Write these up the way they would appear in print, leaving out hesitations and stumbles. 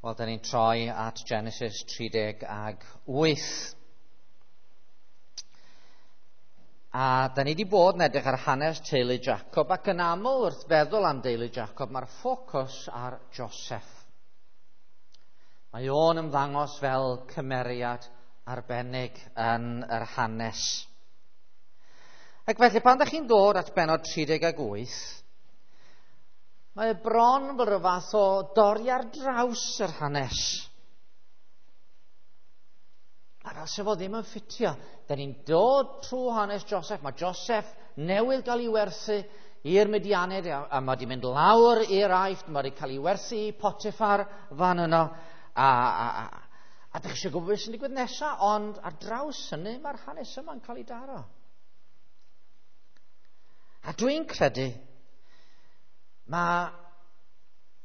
Wel, da ni'n troi at Genesis 38. A da ni wedi bod yn edrych ar hanes teulu Jacob, ac yn aml wrth feddwl am deulu Jacob, mae'r ffocws ar Joseph. Mae o'n ymddangos fel cymeriad arbennig yn yr hanes. Ac felly, pan da chi'n dod at bennod 38, mae bron fel rhyw fath o dorri ar draws yr hanes. A fel se fo ddim yn ffitio. Da ni'n dod trwy hanes Joseph. Mae Joseph newydd gael ei werthu i'r Midianid, a mae wedi mynd lawr i'r Aifft, mae wedi cael ei werthu i Potiphar fan yno. A dych chi eisiau gwybod beth sy'n digwydd nesaf, ond ar draws hynny mae'r hanes yma'n cael ei daro. A dwi'n credu mae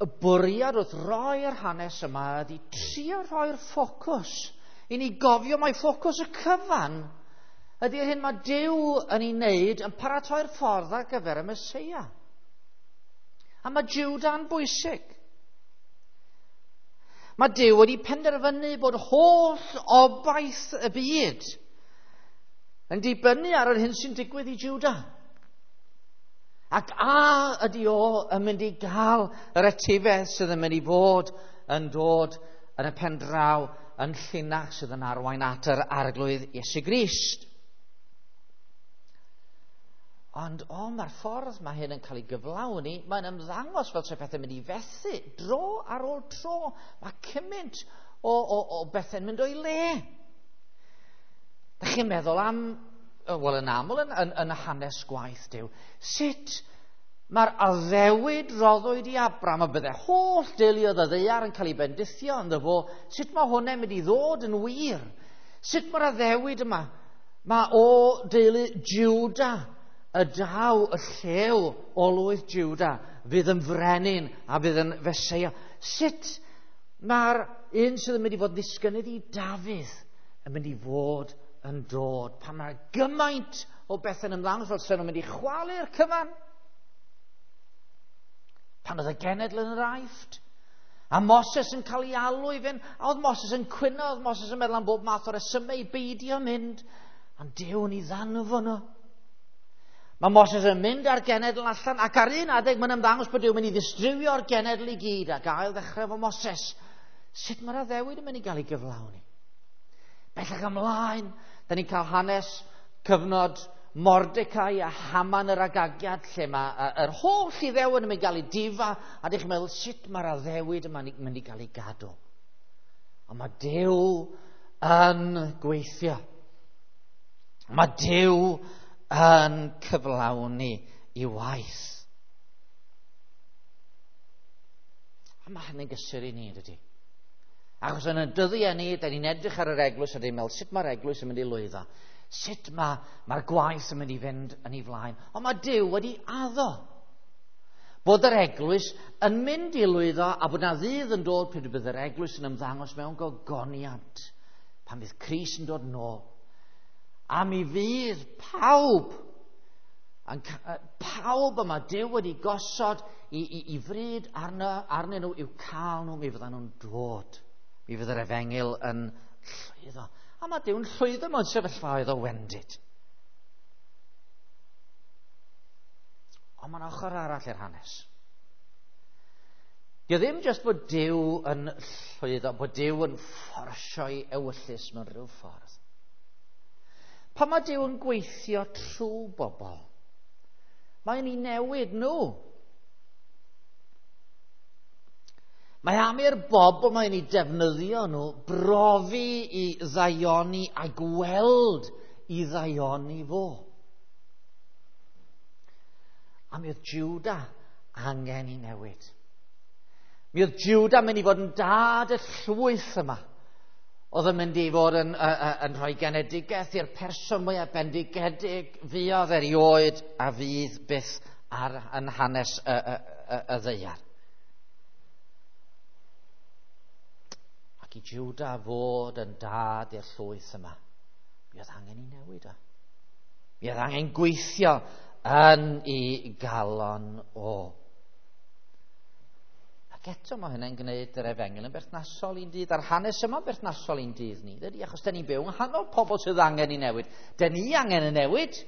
y bwriad wrth roi'r hanes yma ydy trio rhoi'r ffocws i ni gofio mai ffocws y cyfan ydy'r hyn mae Duw yn ei wneud yn paratoi'r ffordd ar gyfer y Meseia. A mae Jwda'n bwysig. Mae Duw wedi penderfynu bod holl obaith y byd yn dibynnu ar yr hyn sy'n digwydd i Jwda. Ac a ydy o yn mynd i gael yr etifedd sydd yn mynd i fod yn dod yn y pen draw yn llinach sydd yn arwain at yr Arglwydd Iesu Grist. Ond mae'r ffordd mae hyn yn cael ei gyflawni, mae'n ymddangos fel se pethau'n mynd i fethu dro ar ôl tro. Mae cymaint o bethau'n mynd o'i le. Dach chi'n meddwl am, wel yn aml yn y hanes gwaith Duw, sut mae'r addewid roddwyd i Abram a bydde holl deuluoedd y ddaear yn cael ei bendithio ynddo fo, sut mae hwnna'n mynd i ddod yn wir? Sut mae'r addewid yma? Mae o deulu Juda y daw y llew o lwyth Juda fydd yn frenin a fydd yn Feseia. Sut mae'r un sydd yn mynd i fod ddisgynnydd i Dafydd yn mynd i fod yn dod? Pan mae gymaint o bethau'n ymddangos fel sy'n nhw'n mynd i chwalu'r cyfan. Pan oedd y genedl yn yr Aifft, a Moses yn cael ei alw i fynd, a oedd Moses yn cwyno, oedd Moses yn meddwl am bob math o resymau i beidio mynd, ond Duw yn ei ddanfon o. Mae Moses yn mynd â'r genedl allan, ac ar un adeg mae'n ymddangos bod Duw yn mynd i ddistrywio'r genedl i gyd ac ail ddechrau efo Moses. Sut mae'r addewid yn mynd i gael ei gyflawni? Bellach ymlaen, da ni'n cael hanes cyfnod Mordecai a Haman yr Agagiad, lle mae yr holl Iddewon yn mynd i gael ei difa, a dych chi'n meddwl sut mae'r addewid yma'n mynd i gael ei gadw. Ond mae Duw yn gweithio. Mae Duw yn cyflawni i waith. A mae hynny'n gysur i ni, dydy? Achos yn y dyddiau ni, da ni'n edrych ar yr eglwys a ni'n meddwl sut mae'r eglwys yn mynd i lwyddo. Sut mae'r gwaith yn mynd i fynd yn ei flaen. Ond mae Duw wedi addo bod yr eglwys yn mynd i lwyddo a bod na ddydd yn dod pryd bydd yr eglwys yn ymddangos mewn gogoniant pan fydd Crist yn dod nôl. A mi fydd pawb, pawb yma Duw wedi gosod i fryd arnyn nhw i'w cael nhw, mi fyddan nhw'n dod. Mi fydd yr efengyl yn llwyddo. A mae Duw'n llwyddo mewn sefyllfaoedd o wendid. Ond mae'n ochr arall i'r hanes. Dio ddim jyst bod Duw yn llwyddo, bod Duw yn fforsio'i ewyllys mewn rhyw ffordd. Pan mae Duw yn gweithio trwy bobl, mae'n ei newid nhw. Mae am i'r bobl mae'n ei defnyddio nhw brofi i ddaioni a gweld i ddaioni fo. A mi oedd Juda angen i newid. Mi oedd Juda mynd i fod yn dad y llwyth yma. Oedd yn mynd i fod yn rhoi genedigaeth i'r person mwyaf bendigedig fuodd erioed a fydd byth ar yn hanes y ddaear. Ac i Juda fod yn dad i'r llwyth yma, mi oedd angen i newid o. Mi oedd angen gweithio yn ei galon o. A Ac eto mae hynny'n gwneud yr efengyl yn berthnasol i'n dydd, a'r hanes yma'n berthnasol i'n dydd ni, dydy? Achos da ni'n byw yng nghanol pobl sydd angen i newid. Da ni angen y newid.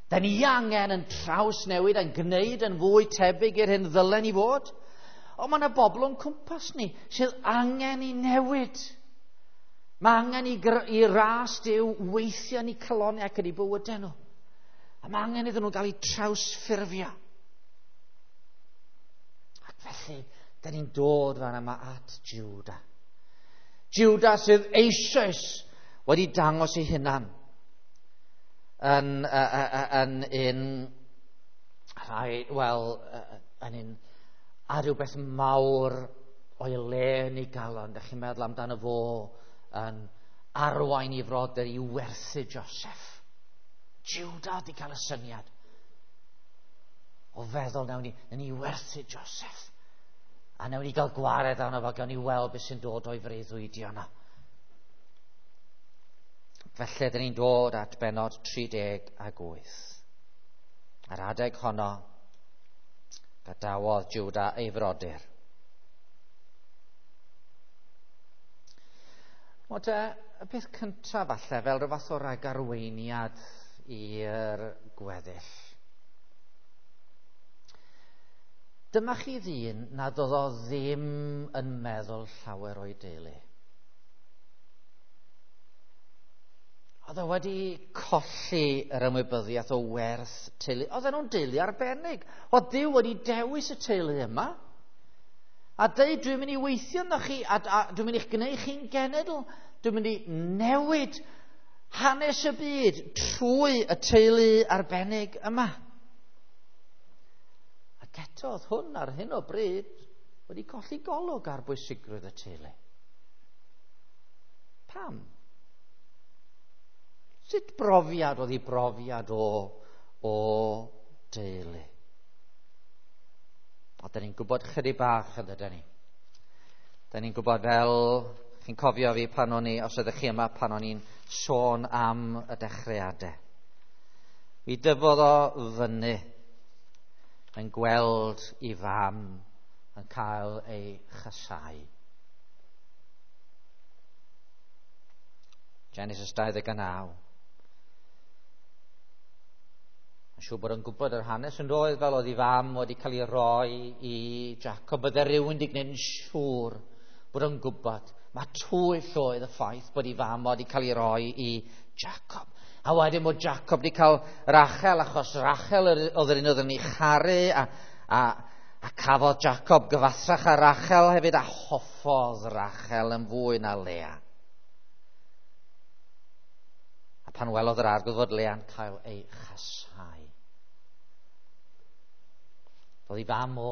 Da ni angen yn trawsnewid, yn gwneud yn fwy tebyg i'r hyn ddylen ni fod. Ond mae yna bobl o'n cwmpas ni sydd angen i newid. Mae angen i ras Duw weithio yn eu calonnau ac yn eu bywydau nhw. A mae angen iddyn nhw gael eu trawsffurfio. Ac felly, da ni'n dod fan yma at Juda. Juda sydd eisoes wedi dangos ei hunan yn un rhai, wel, yn un a rhywbeth mawr o'i le yn ei galon. Dych chi'n meddwl amdano fo yn arwain i frodyr i werthu Joseph. Juda wedi cael y syniad o feddwl nawn ni werthu Joseph. A nawn ni gael gwared arno fo, gawn ni weld beth sy'n dod o'i freuddwydio yna. Felly, dyn ni'n dod at bennod 38. Ar adeg honno, gadawodd Juda ei frodyr. Wel te, y peth cyntaf falle, fel rhyw fath o ragarweiniad i'r gweddill. Dyma chi ddyn nad oedd o ddim yn meddwl llawer o'i deulu. Oedd o wedi colli yr ymwybyddiaeth o werth teulu. Oedden nhw'n deulu arbennig. Oedd Duw wedi dewis y teulu yma. A dweud, dwi'n mynd i weithio ynddo chi, a dwi'n mynd i'ch gwneud chi'n genedl. Dwi'n mynd i newid hanes y byd trwy y teulu arbennig yma. Ac eto, oedd hwn ar hyn o bryd wedi colli golwg ar bwysigrwydd y teulu. Pam? Sut brofiad oedd ei brofiad o deulu? A da ni'n gwybod chydig bach yn dydyn ni. Da ni'n gwybod fel, chi'n cofio fi pan o'n i, os ydych chi yma, pan o'n i'n sôn am y dechreuadau. Mi dyfodd o fyny yn gweld i fam yn cael ei chasau. Genesis 29. Mae'n siŵr bod yn gwybod yr hanes yn doedd, fel oedd ei fam wedi cael ei roi i Jacob. Bydde rhywun wedi gwneud yn siŵr bod yn gwybod. Mae twyll oedd y ffaith bod ei fam wedi cael ei roi i Jacob. A wedyn bod Jacob wedi cael Rachel, achos Rachel oedd yr un oedd yn ei charu, a cafodd Jacob gyfathrach â Rachel hefyd, a hoffodd Rachel yn fwy na Lea. A pan welodd yr arglwydd fod Lea'n cael ei chasau. Doedd ei fam o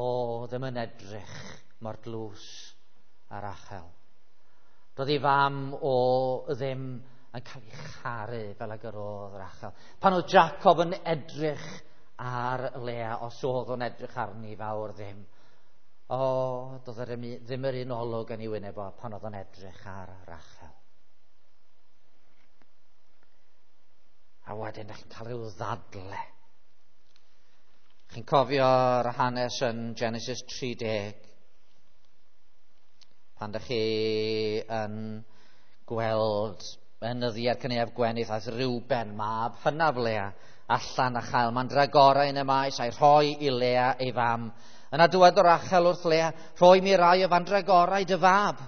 ddim yn edrych mor dlws â Rachel. Doedd ei fam o ddim yn cael ei charu fel ag yr oedd Rachel. Pan oedd Jacob yn edrych ar Lea, os oedd o'n edrych arni fawr ddim, o, doedd ddim yr un olwg yn ei wyneb o pan oedd o'n edrych ar Rachel. A wedyn, ydych chi'n cael rhyw ddadle. Chi'n cofio'r hanes yn Genesis 30, pan ydych chi yn gweld yn nyddiau'r cynaeaf gwenith aeth Reuben, mab hynaf Lea, allan a chael mandragorau yn y maes a'i rhoi i Lea ei fam. Yna dywedodd Rachel wrth Lea, rhoi mi rai o fandragorau dy fab.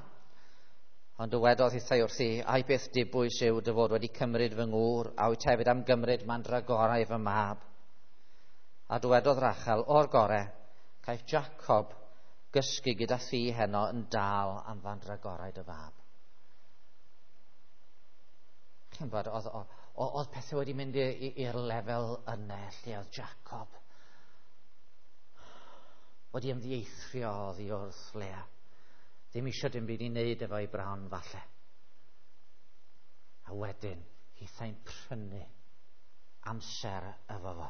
Ond dywedodd hithau wrthi, ai beth dibwys yw dy fod wedi cymryd fy ngŵr, a wyt hefyd am gymryd mandragorau fy mab. A dywedodd Rachel, o'r gore, caiff Jacob gysgu gyda thi heno yn dal am fandragorau dy fab. Chi'n bod, oedd pethau wedi mynd i'r lefel yna lle oedd Jacob wedi ymddieithrio oddi wrth Lea. Ddim eisiau dim byd i wneud efo'i bron falle. A wedyn, hithau'n prynu amser efo fo.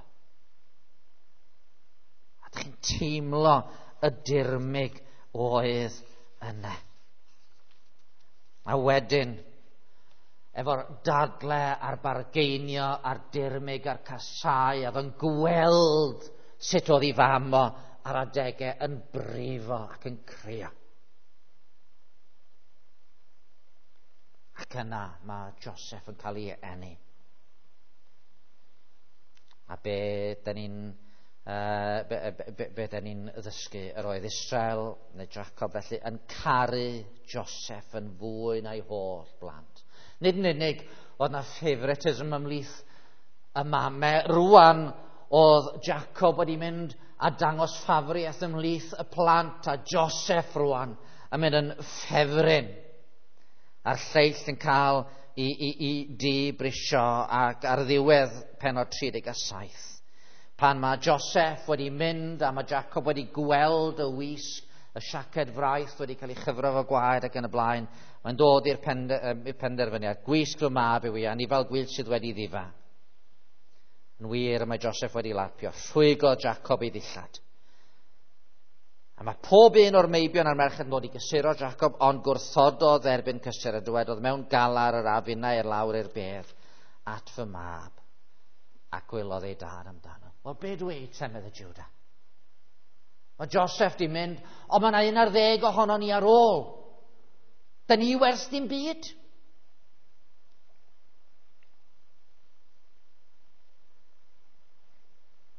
A dych chi'n teimlo y dirmyg oedd yna. A wedyn, efo'r dadle a'r bargeinio a'r dirmyg a'r casau, a oedd yn gweld sut oedd ei fam o ar adegau yn brifo ac yn crio. Ac yna mae Joseph yn cael ei eni. A be da ni'n be da ni'n ddysgu? Yr oedd Israel neu Jacob felly yn caru Joseph yn fwy na'i holl blant. Nid yn unig oedd na favouritism ymhlith y mamau. Rwan oedd Jacob wedi mynd a dangos ffafriaeth ymhlith y plant, a Joseph rwan yn mynd yn ffefryn. A'r lleill yn cael i dibrisio, ac ar ddiwedd pennod 37. Pan mae Joseph wedi mynd a mae Jacob wedi gweld y wisg, y siaced fraith wedi cael ei chyfro fo gwaed ac yn y blaen, mae'n dod i'r penderfyniad. Gwisg fy mab yw i, anifail gwyllt sydd wedi ddifa. Yn wir, mae Joseph wedi lapio. Rhwygodd Jacob ei ddillad. A mae pob un o'r meibion a'r merched yn dod i gysuro Jacob, ond gwrthododd erbyn cysur a dywedodd, mewn galar yr afinau i'r lawr i'r bedd at fy mab, a gwylodd ei dad amdano. Wel, be dwi te, medde Judah? Mae Joseph di mynd, ond mae yna 11 ohono ni ar ôl. Da ni wers dim byd.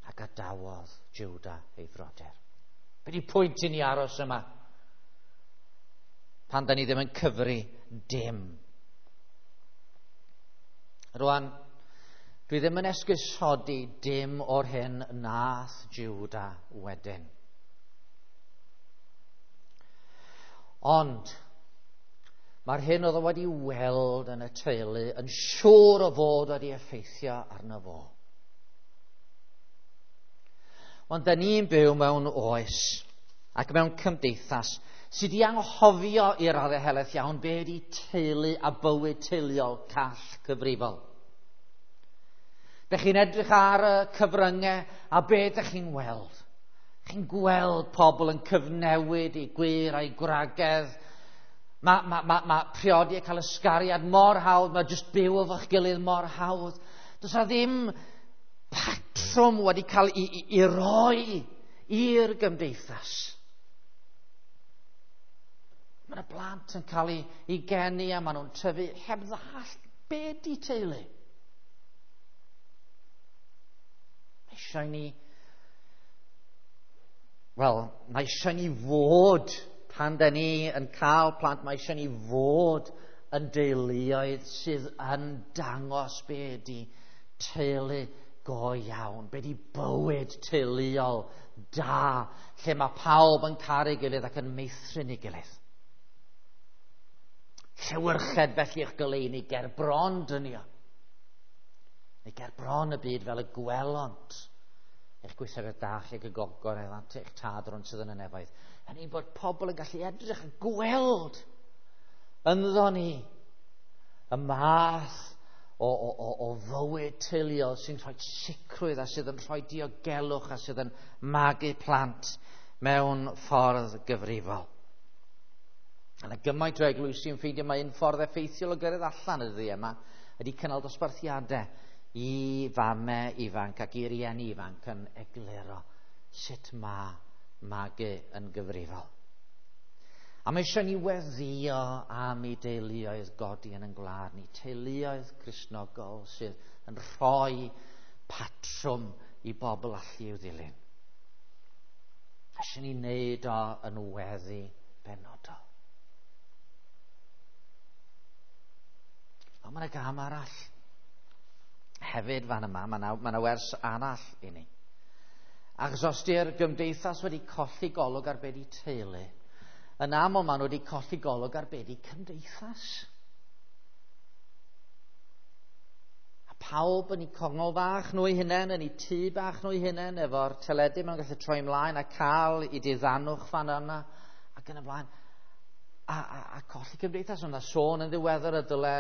A gadawodd Judah ei frodyr. Be di pwynt i ni aros yma? Pan da ni ddim yn cyfri dim. Rwan, dwi ddim yn esgusodi dim o'r hyn nath Judah wedyn. Ond, mae'r hyn oedd o wedi weld yn y teulu yn siŵr o fod wedi effeithio arno fo. Ond da ni'n byw mewn oes ac mewn cymdeithas sydd wedi anghofio i'r raddau helaeth iawn be ydi teulu a bywyd teuluol call cyfrifol. Dych chi'n edrych ar y cyfryngau a be dych chi'n weld? Chi'n gweld pobl yn cyfnewid i gwir a'i gwragedd. Mae priodi a cael ysgariad mor hawdd, mae jyst byw efo'ch gilydd mor hawdd. Does na ddim patrwm wedi cael ei roi i'r gymdeithas. Mae yna blant yn cael ei geni a maen nhw'n tyfu heb ddallt be di teulu. Eisiau ni, wel, mae eisiau ni fod, pan da ni yn cael plant, mae eisiau ni fod yn deuluoedd sydd yn dangos be di teulu go iawn, be di bywyd teuluol da, lle mae pawb yn caru gilydd ac yn meithrin ei gilydd. Llewyrched felly eich goleuni ger bron dynion, neu ger bron y byd fel y gwelont eich gweithredoedd da chi ac y gogoneddant eich tad rhwng sydd yn y nefoedd. Hynny bod pobl yn gallu edrych a gweld ynddo ni y math o fywyd teuluol sy'n rhoi sicrwydd a sydd yn rhoi diogelwch a sydd yn magu plant mewn ffordd gyfrifol. A yna gymaint o eglwysi yn ffeindio mae un ffordd effeithiol o gyrraedd allan y dyddiau yma ydy cynnal dosbarthiadau i famau ifanc ac i rieni ifanc yn egluro sut mae magu yn gyfrifol. A mae eisiau ni weddïo am i deuluoedd godi yn ein gwlad ni, teuluoedd Cristnogol sydd yn rhoi patrwm i bobl allu i'w ddilyn. Eisiau ni wneud o yn weddi benodol. Ond mae yna gam arall. Hefyd fan yma, mae yna wers arall i ni. Achos os di'r gymdeithas wedi colli golwg ar be di teulu, yn aml maen nhw wedi colli golwg ar be di cymdeithas. A pawb yn eu congol fach nhw eu hunain, yn eu tŷ bach nhw eu hunain, efo'r teledu maen nhw'n gallu troi ymlaen a cael eu diddanwch fan yna, ac yn y blaen. A colli cymdeithas. Ond sôn yn ddiweddar y dyle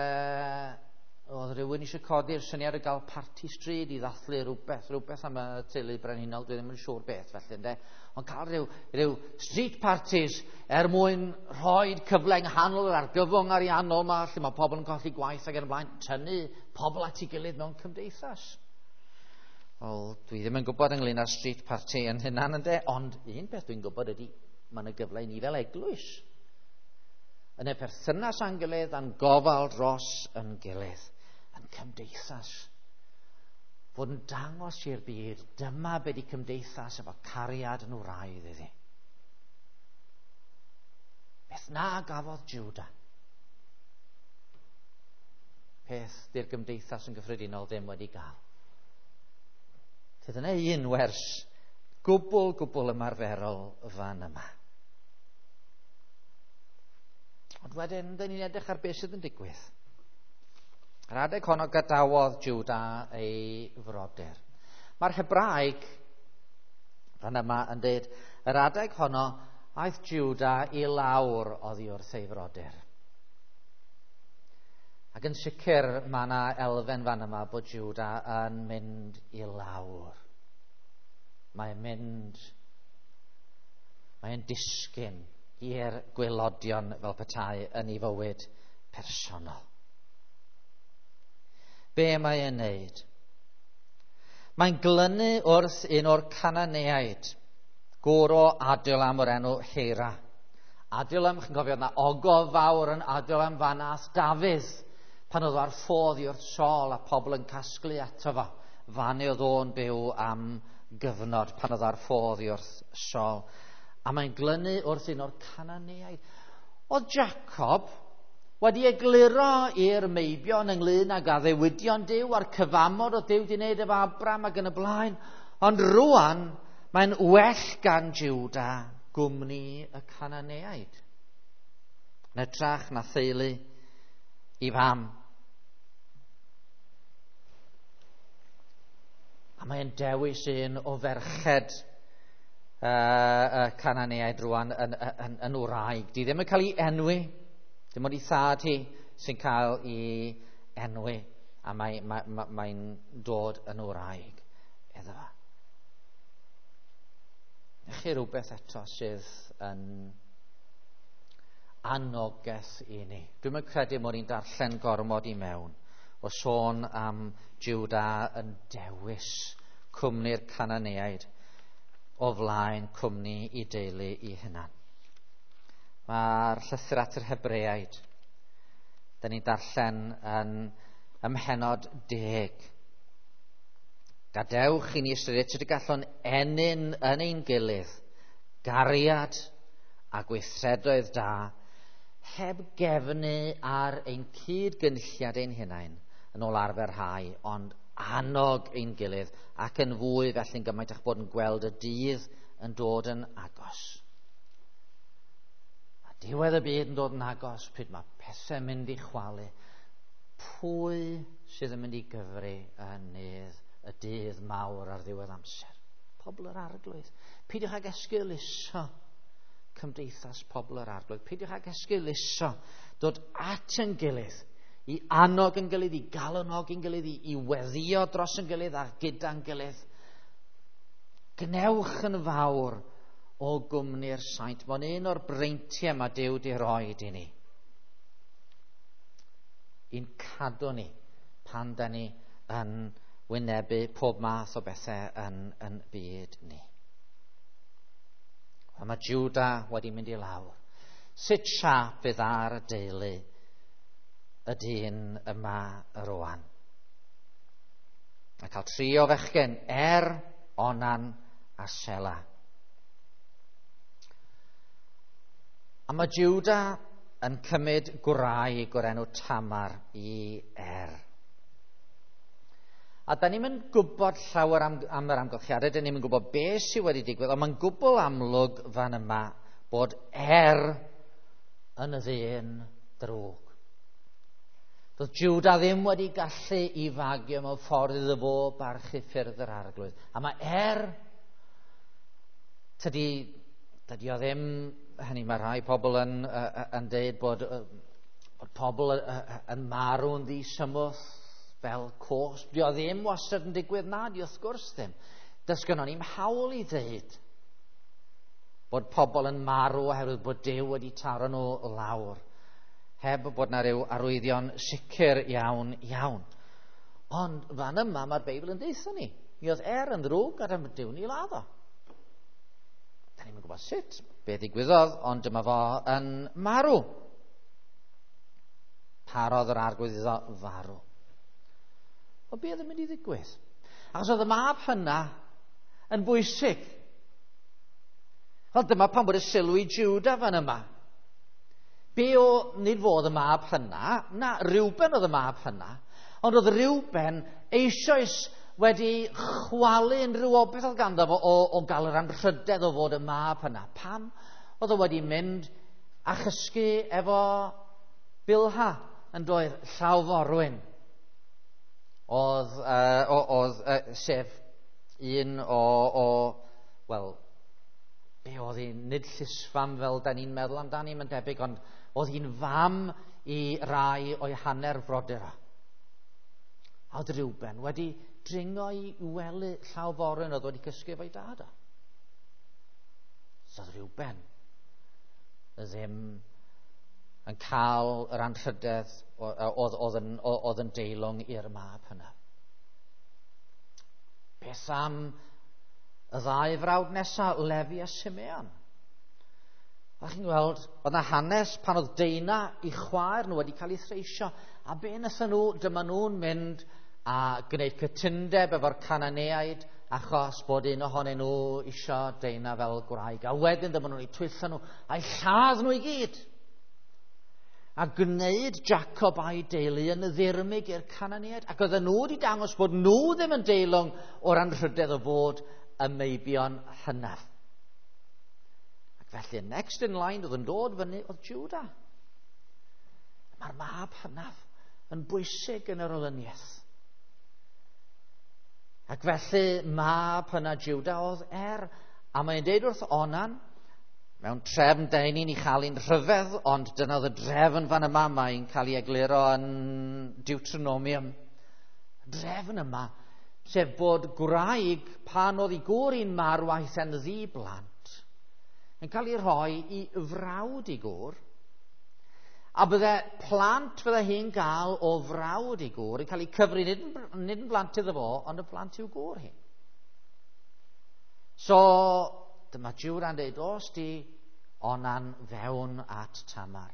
oedd rhywun eisiau codi'r syniad o gael parti stryd i ddathlu rhywbeth am y teulu brenhinol, dwi ddim yn siŵr beth felly, ynde? Ond cael rhyw street parties er mwyn rhoi cyfle yng nghanol yr argyfwng ariannol yma, lle mae pobl yn colli gwaith ac yn y blaen, tynnu pobl at ei gilydd mewn cymdeithas. Wel, dwi ddim yn gwybod ynglyn â'r street party yn hynna'n ynde, ond un peth dwi'n gwybod ydy, mae yna gyfle i ni fel eglwys. Yn y perthynas â'n gilydd, a'n gofal dros yn gilydd, yn cymdeithas. Fod yn dangos i'r byd, dyma be di cymdeithas efo cariad yn wraidd iddi. Beth na gafodd Juda? Peth di'r gymdeithas yn gyffredinol ddim wedi gael. Dyna un wers gwbl, gwbl ymarferol fan yma. Ond wedyn, dyn ni'n edrych ar beth sydd yn digwydd. Yr adeg honno gadawodd Juda ei frodyr. Mae'r Hebraeg fan yma yn dweud, yr adeg honno aeth Juda i lawr oddi wrth ei frodyr. Ac yn sicr mae yna elfen fan yma bod Juda yn mynd i lawr. Mae'n mynd, mae'n disgyn i'r gwaelodion fel petai yn ei fywyd personol. Be mae e'n neud? Mae'n glynu wrth un o'r Cananeaid, gŵr o Adulam o'r enw Hira. Adulam, chi'n cofio, yna ogof fawr yn Adulam fan ath Dafydd, pan oedd ar ffodd i wrth Saul a pobl yn casglu ato fo. Fan oedd o'n byw am gyfnod pan oedd ar ffodd i wrth Saul. A mae'n glynu wrth un o'r Cananeaid. Oedd Jacob wedi egluro i'r meibion ynglyn ag addewidion Duw a'r cyfamod o Duw wedi wneud efo Abram ac yn y blaen. Ond rwan mae'n well gan Juda gwmni y Cananeaid. Yn hytrach na theulu i fam. A mae'n dewis un o ferched y Cananeaid rwan yn wraig. Di ddim yn cael ei enwi, dim ond ei thad hi sy'n cael ei enwi, a mae'n dod yn wraig iddo fo. Chi rhywbeth eto sydd yn anogaeth i ni. Dwi'm yn credu mod i'n darllen gormod i mewn o sôn am Juda yn dewis cwmni'r Cananeaid o flaen cwmni i deulu i hunan. Mae'r llythyr at yr Hebreaid, da ni'n darllen yn ym mhennod 10. Gadewch i ni ystyried sut y gallwn ennyn yn ein gilydd gariad a gweithredoedd da heb gefnu ar ein cyd-gynulliad ein hunain yn ôl arfer rhai, ond annog ein gilydd ac yn fwy felly'n gymaint eich bod yn gweld y dydd yn dod yn agos. A diwedd y byd yn dod yn agos, pryd mae pethau'n mynd i chwalu, pwy sydd yn mynd i gyfri yn nydd y dydd mawr ar ddiwedd amser? Pobl yr Arglwydd. Peidiwch ag esgeuluso cymdeithas pobl yr Arglwydd. Peidiwch ag esgeuluso dod at yn gilydd, i annog yn gilydd, i galonog yn gilydd, i weddio dros yn gilydd a gyda'n gilydd. Gnewch yn fawr o gwmni'r saint. Mae'n un o'r breintiau mae Duw di roed i ni. I'n cadw ni pan da ni yn wynebu pob math o bethau yn byd ni. A mae Juda wedi mynd i lawr. Sut siâp fydd ar y deulu y dyn yma rwan? Mae cael tri o fechgyn, Er, Onan a Sela. A mae Juda yn cymryd gwraig o'r enw Tamar i Er. A da ni'm yn gwybod llawer am yr amgylchiadau, da ni'm yn gwybod beth sydd wedi digwydd, ond mae'n gwbl amlwg fan yma bod Er yn y ddyn drwg. Doedd Juda ddim wedi gallu i fagio mewn ffordd iddo fo barchu ffyrdd yr Arglwydd. A mae Er, tydi o ddim, hynny mae rhai pobl yn deud bod pobl yn marw'n ddisymwth fel cosb. Di o ddim wastad yn digwydd, na, di wrth gwrs ddim. Does gynnon ni'm hawl i ddeud bod pobl yn marw oherwydd bod Duw wedi taro nhw lawr, heb bod na ryw arwyddion sicr iawn iawn. Ond fan yma mae'r Beibl yn deutha ni. Mi oedd Er yn ddrwg a dyma Duw'n ei ladd o. Da ni'n gwybod sut, be ddigwyddodd, ond dyma fo yn marw. Parodd yr Arglwydd iddo farw. O be oedd yn mynd i ddigwydd? Achos oedd y mab hynna yn bwysig. Wel, dyma pan bod y sylw i Judah fan yma. Be o, nid fod y mab hynna, na, Reuben oedd y mab hynna, ond oedd Reuben eisoes wedi chwalu unrhyw obaith oedd ganddo fo o gael yr anrhydedd o fod y mab hynna. Pam? Oedd o wedi mynd a chysgu efo Bilha yn doedd llaw forwyn. Oedd sef un o wel, be oedd hi, nid llysfam fel da ni'n meddwl amdani, mae'n debyg, ond oedd hi'n fam i rai o'i hanner frodyr. A oedd Reuben wedi dringo i wely llaw forwyn oedd wedi cysgu efo'i dad o. So oedd Reuben ddim yn cael yr anrhydedd oedd yn deilwng i'r mab hynna. Beth am y ddau frawd nesaf, Lefi a Simeon? A chi'n gweld, oedd yna hanes pan oedd Deina i chwaer nhw wedi cael ei threisio. A be wnaethon nhw? Dyma nhw'n mynd a gwneud cytundeb efo'r Cananeaid achos bod un ohonyn nhw isio Deina fel gwraig. A wedyn dyma nhw'n eu twyllo nhw a'i lladd nhw i gyd. A gwneud Jacob a'i deulu yn ddirmyg i'r Cananeaid. Ac oedden nhw wedi dangos bod nhw ddim yn deilwng o'r anrhydedd o fod y meibion hynaf. Ac felly, next in line oedd yn dod fyny oedd Judah. Mae'r mab hynaf yn bwysig yn yr olyniaeth. Ac felly, mab hynaf Judah oedd Er. A mae'n deud wrth Onan, mewn trefn da ni'n ei chael hi'n rhyfedd, ond dyna oedd y drefn fan yma, mae'n cael ei egluro yn Deuteronomium. Y drefn yma, sef bod gwraig pan oedd ei gŵr hi'n marw aeth e'n ddi-blant, yn cael ei rhoi i frawd ei gŵr, a bydde plant fydde hi'n gael o frawd ei gŵr yn cael ei cyfri nid yn blant iddo fo, ond y plant i'w gŵr hi. So, dyma Jwda'n dweud, os di Onan fewn at Tamar,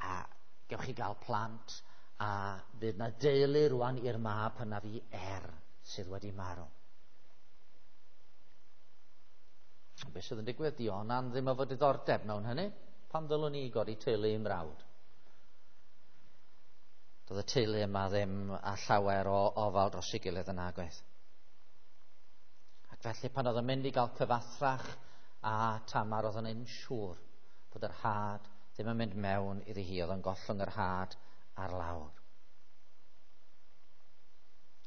a gewch chi gael plant, a fydd na deulu rwan i'r mab hynaf i Er sydd wedi marw. Be sydd yn digwydd? Di Onan ddim efo diddordeb mewn hynny. Pam ddylwn ni godi teulu i'm mrawd? Doedd y teulu yma ddim â llawer o ofal dros ei gilydd yn agwedd. Ac felly pan oedd yn mynd i gael cyfathrach a Tamar, oedd yn siŵr bod yr had ddim yn mynd mewn iddi hi, oedd yn gollwng yr had ar lawr.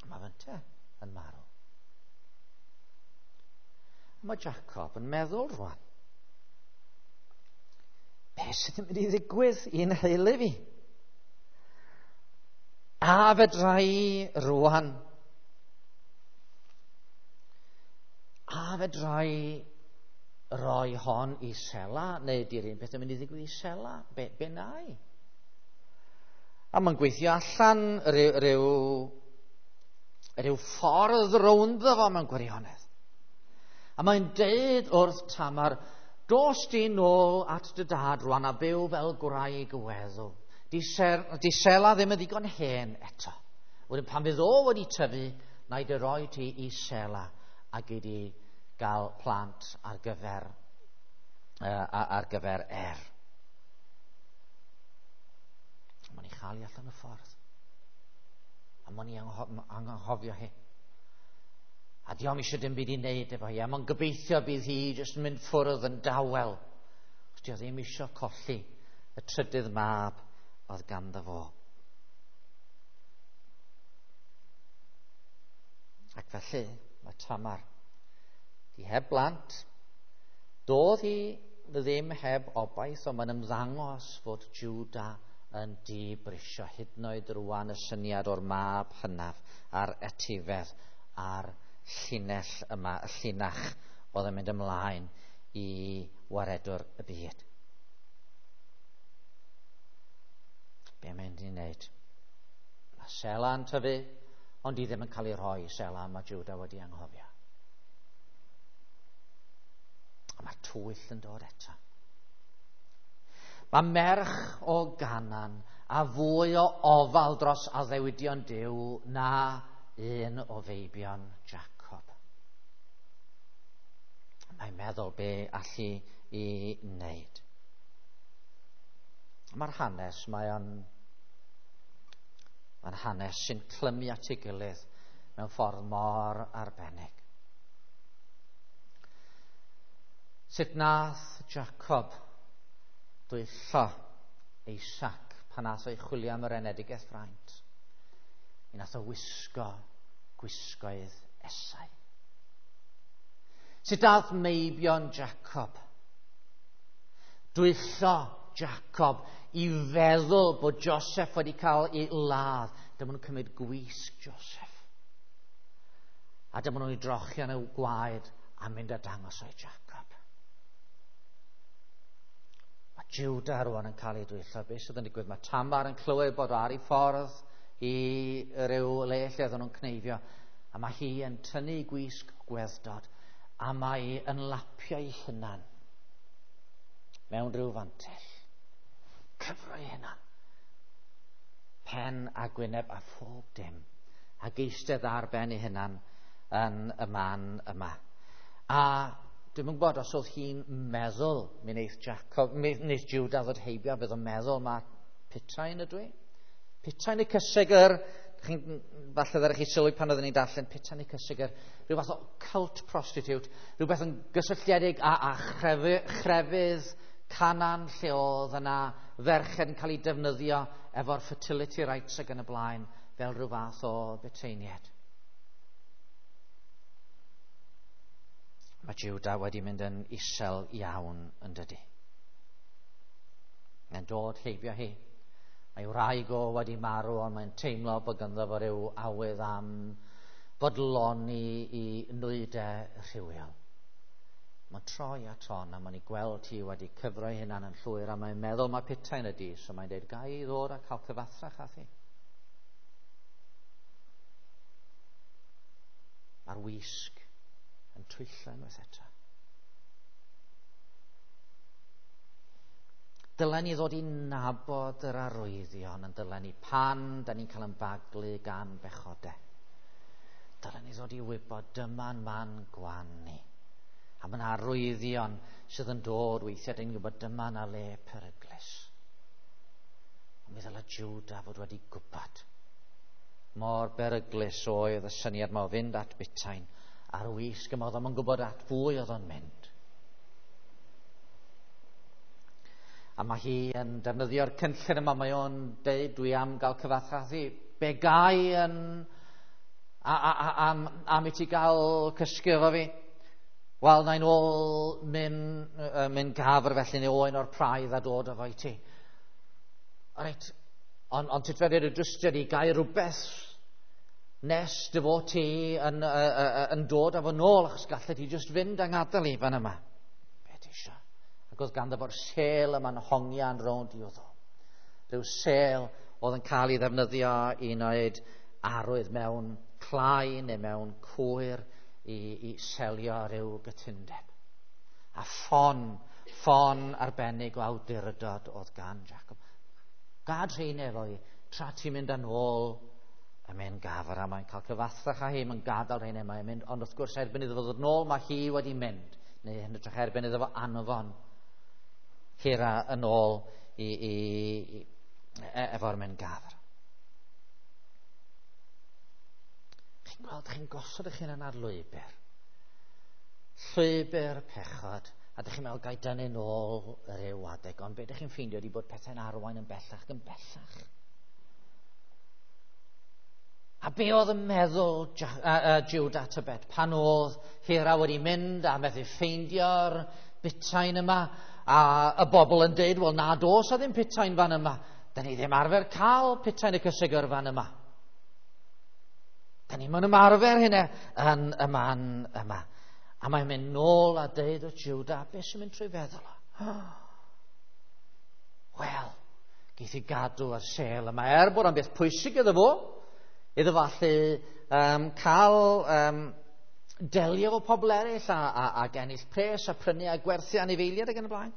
Mae fynte yn marw. Mae Jacob yn meddwl rwan, be sydd yn mynd i ddigwydd i'n nheulu fi? A fedra i rwan? A fedra i roi hon i Sela? Neu di'r un peth yn mynd i ddigwydd i Sela? Be na i? A mae'n gweithio allan rhyw ffordd rownd fo mewn gwirionedd. A mae'n deud wrth Tamar, dos di nôl at dy dad rwan a byw fel gwraig weddw. Di Sela ddim yn ddigon hen eto. Wedyn pan fydd o wedi tyfu, na i dy roi ti i Sela a gei di gael plant ar gyfer Er. Mae'n ei chael i allan y ffordd. A mae'n ei anghofio hi. A dio'm eisiau dim byd i wneud efo hi. A mae'n gobeithio bydd hi jyst yn mynd ffwrdd yn dawel. Os dio ddim eisiau colli y trydydd mab oedd ganddo fo. Ac felly mae Tamar di heb blant. Doedd hi ddim heb obaith, ond mae'n ymddangos fod Judah yn dibrisio hyd yn oed rwan y syniad o'r mab hynaf a'r etifedd a'r llinell yma, y llinach oedd yn mynd ymlaen i waredwr y byd. Be mae'n mynd i wneud? Mae Sela'n tyfu, Ond di ddim yn cael ei rhoi i Sela, mae Judah wedi anghofio. A mae'r twyll yn dod eto. Mae merch o Ganan a fwy o ofal dros addewidion Duw na un o feibion Jacob. Mae'n meddwl be allu i wneud. Mae'r hanes, mae'n hanes sy'n clymu at ei gilydd mewn ffordd mor arbennig. Sut nath Jacob dwyllo Isaac pan nath o'i chwilio am yr enedigaeth fraint? Mi nath o wisgo gwisgoedd Esau. Sut nath meibion Jacob dwyllo Jacob i feddwl bod Joseph wedi cael ei ladd? Dyma nhw'n cymryd gwisg Joseph. A dyma nhw'n ei drochi yn y gwaed a mynd a dangos o'i Jacob. Mae Judah rwan yn cael ei dwyllo. Beth sydd yn digwydd? Mae Tamar yn clywed bod ar ei ffordd i ryw le lle oedden nhw'n cneifio. A mae hi yn tynnu gwisg gweddod a mae yn lapio ei hunan mewn rhyw fantell. Cyfro ei hunan. Pen a gwyneb a phob dim. Ac eistedd ar ben ei hunan yn y man yma. A dwi'm yn gwybod os oedd hi'n meddwl mi wneith Jacob, mi wneith Judah ddod heibio, bydd o'n meddwl mae putain ydw i. Putain y cysegr, falle ddech chi sylwi pan oeddwn ni'n darllen, putain y cysegr, rhyw fath o cult prostitute, rhywbeth yn gysylltiedig â chrefydd Canan lle oedd yna ferched yn cael ei defnyddio efo'r fertility rites ac yn y blaen fel rhyw fath o buteiniad. Mae Judah wedi mynd yn isel iawn yn dydy. Mae'n dod heibio hi. Mae wraig o wedi marw, ond mae'n teimlo bod ganddo fo ryw awydd am fodloni i nwydau rhywiol. Mae'n troi at hon a mae'n ei gweld hi wedi cyfro ei hunan yn llwyr a mae'n meddwl mae putain ydi, so mae'n dweud, ga i ddod a cael cyfathrach â thi. Mae'r wisg yn twyllo unwaith eto. Dylen ni ddod i nabod yr arwyddion yn dylen ni pan da ni'n cael yn baglu gan bechodau. Dylen ni ddod i wybod dyma'n man gwan ni. A mae yna arwyddion sydd yn dod weithiau, da ni'n gwybod dyma na le peryglus. Ond mi ddylai Judah fod wedi gwybod mor beryglus oedd y syniad yma o fynd at butain a'r wisg yma, oedd o'n gwybod at fwy oedd o'n mynd. A mae hi yn defnyddio'r cynllun yma, mae o'n deud, dwi am gael cyfathrach. Be gai yn am i ti gael cysgu efo fi? Wel, na i'n ôl mynd gafr felly neu oen o'r praidd a dod efo i ti. Reit, ond ti fedr y drystio di gael rhywbeth nes dy fod ti yn dod efo nôl, achos gallet ti just fynd a ngadael i fan yma. Be ti isio? Ac oedd ganddo fo'r sêl yma'n hongian rownd i wddw. Rhyw sêl oedd yn cael ei ddefnyddio i wneud arwydd mewn clai neu mewn cwyr i selio rhyw gytundeb. A ffon arbennig o awdurdod oedd gan Jacob. Gad rhein efo i, tra ti'n mynd yn ôl y mynd gafr, a mae'n cael cyfathrach â hi, mae'n gadael rhein yma, mae'n mynd, ond wrth gwrs erbyn iddo fo ddod nôl, mae hi wedi mynd, neu yn hytrach erbyn iddo fo anfon Hira yn ôl efo'r mynd gafr. Chi'n gweld, chi'n gosod eich hunan ar lwybr. Llwybr pechod, a dych chi'n meddwl gai dynnu nôl ryw adeg, ond be dych chi'n ffeindio ydi bod pethau'n arwain yn bellach yn bellach. A be oedd yn meddwl Judah tybed pan oedd Hira wedi mynd a methu ffeindio'r butain yma, a y bobl yn deud, wel na dos a ddim putain fan yma. Da ni ddim arfer cael putain y cysegr fan yma. Da ni'n ymarfer hynna yn y man yma. A mae'n mynd nôl a deud wrth Judah, beth sy'n mynd trwy feddwl o? Wel, geith i gadw ar sêl yma. Er bod o'n beth pwysig iddo fo, Iddo fo allu cael delio efo pobl eraill a ennill pres a prynu a gwerthu anifeiliaid ac yn y blaen.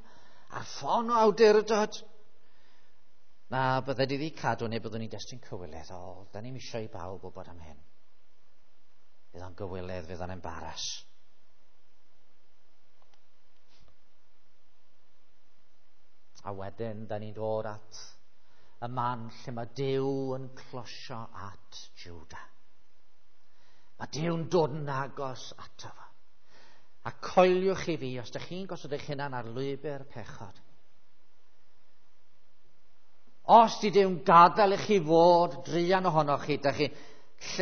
A'r ffon o awdurdod. Na, bydde di ddi cadw neu byddwn ni'n destun cywilydd. O, da ni'n eisiau i bawb wybod am hyn. Fydd o'n gywilydd, fydd o'n embaras. A wedyn, da ni'n dod at y man lle mae Duw yn closio at Judah. Mae Duw'n dod yn agos ato fo. A coeliwch i fi, os ydych chi'n gosod eich hunan ar lwybr pechod. Os di Duw'n gadael i chi fod druan ohonoch chi, ydych chi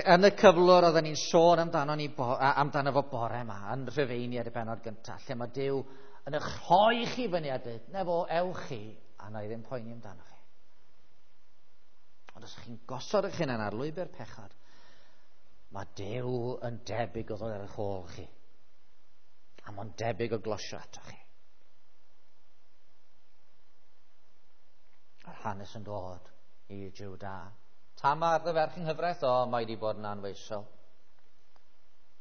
yn y cyflwr oedden ni'n sôn amdano, ni amdano fo bore yma, yn Rhufeiniaid y bennod gyntaf, lle mae Duw yn eich rhoi chi fyny a dweud, na fo, ewch chi, a na i ddim poeni amdano chi. Ond os ydych chi'n gosod eich hunan ar lwybr pechod, mae Duw yn debyg o ddod ar eich ôl chi. A mae'n debyg o glosio ato chi. A'r hanes yn dod i Juda. Tamar, dy ferch yng nghyfraith, o, mae wedi bod yn anfoesol.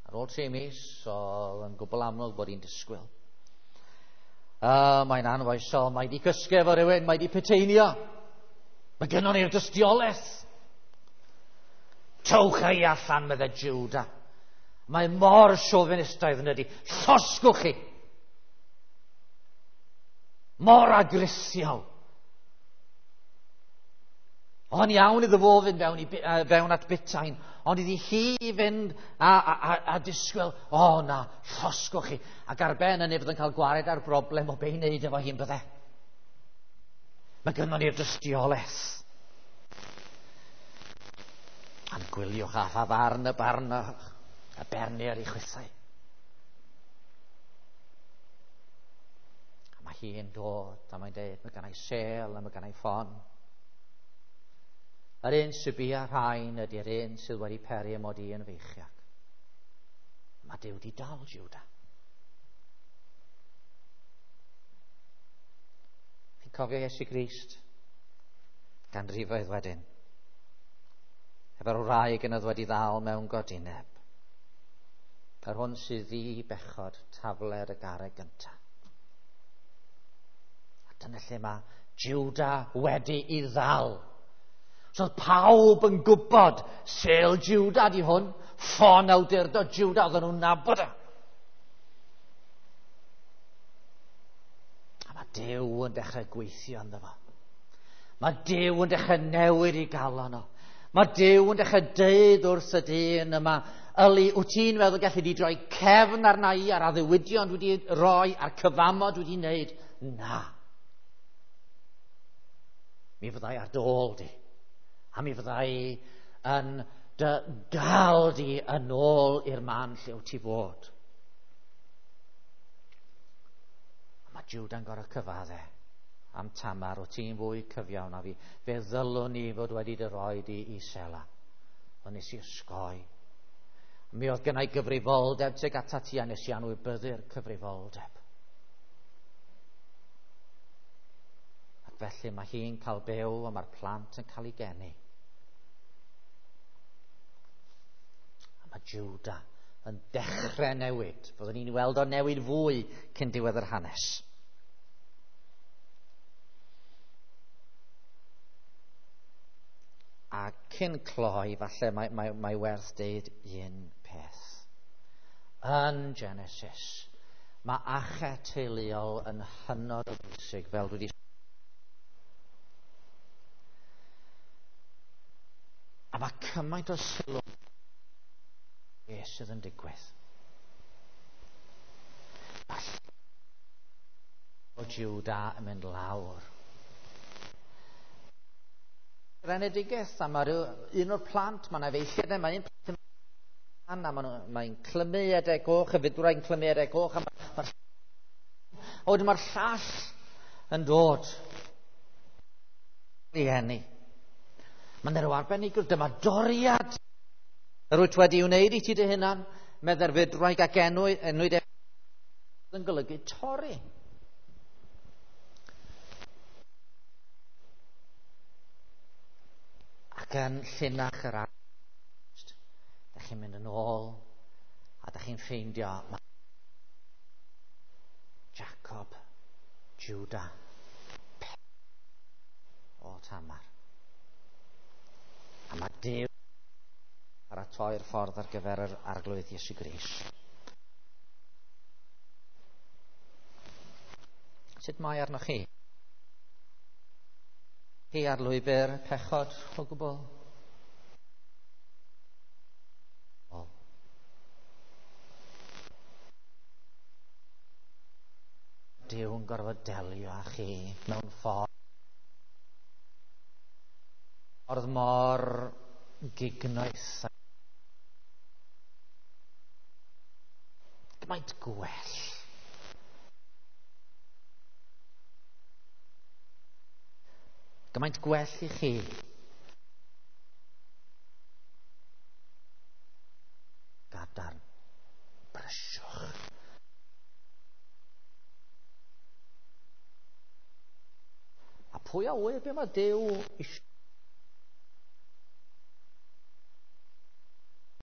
Ar ôl 3 mis, oedd yn gwbl amlwg bod hi'n disgwyl. Mae'n anfoesol, mae wedi cysgu efo rhywun, mae wedi peteinio. Mae gynnon ni'r dystiolaeth. Towch ei allan, meddai Juda. Mae mor chauvinistaidd yn ydi. Llosgwch chi. Mor agrisiol. Oedd yn iawn iddo fo fynd fewn, fewn at butain, ond iddi hi fynd a disgwyl, o na, llosgwch chi. Ac ar ben hynny fydd yn cael gwared ar broblem o be i wneud efo hi'n bydde. Mae gynnon ni'r dystiolaeth. A'n gwyliwch a pha farn y barn a bernir i chwithau. A mae hi'n dod, a mae'n dweud, mae gennau sêl a mae gennau ffon. Yr un sy'n bia rhain ydy'r un sydd wedi peri y mod i yn feichiog. Mae Duw di dal Juda. Chi'n cofio Iesu Grist? Ganrifoedd wedyn. Efo'r wraig yn oedd wedi ddal mewn godineb. Yr hwn sydd ddi bechod tafler y garreg gyntaf. A dyna lle mae Juda wedi i ddal. So oedd pawb yn gwybod sêl Juda di hwn, ffon awdurdod Juda, oedden nhw'n nabod o. A mae Duw yn dechrau gweithio ynddo fo. Mae Duw yn dechrau newid i galon o. Mae Duw yn dechrau deud wrth y dyn yma, yli, wyt ti'n meddwl gallu di droi cefn arna i a'r addewidion dwi wedi roi a'r cyfamod dwi wedi wneud? Na. Mi fyddai ar dy ôl di. A mi fyddai yn dy gael di yn ôl i'r man lle wyt ti fod. A mae Juda'n gorfod cyfadde am Tamar, wyt ti'n fwy cyfiawn na fi. Fe ddylwn ni fod wedi dy roi di i Sela. Ond nes i osgoi. Mi oedd gennau gyfrifoldeb tuag atat ti a nes i anwybyddu'r cyfrifoldeb. Ac felly mae hi'n cael byw a mae'r plant yn cael ei geni. A mae Juda yn dechrau newid. Fyddwn ni'n weld o newid fwy cyn diwedd yr hanes. A cyn cloi, falle mae werth deud un peth. Yn Genesis, mae achau teuluol yn hynod o bwysig, fel dwi wedi. A mae cymaint o sylw beth sydd yn digwydd. O Juda yn mynd lawr. Enedigaeth, a mae un o'r plant, mae'n efeilliad, mae un plant a mae'n clymu edau goch, y fydwraig yn clymu edau goch, a wedyn mae'r llall yn dod i eni. Mae'n rhyw arbenigwr, dyma doriad yr wyt wedi wneud i ti dy hunan, medde'r fydwraig ac enwyd yn golygu torri. Ac yn llinach yr Da chi'n mynd yn ôl, a da chi'n ffeindio Jacob, Judah, o Tamar. A mae Duw paratoi'r ffordd ar gyfer yr Arglwydd Iesu Grist. Sut mae arnoch chi? Chi ar lwybr pechod o gwbl? O. Duw yn gorfod delio â chi mewn ffordd mor gignoeth. Gymaint gwell. Gymaint gwell i chi. Gadarn. Brysiwch. A pwy a ŵyr be mae Duw eisiau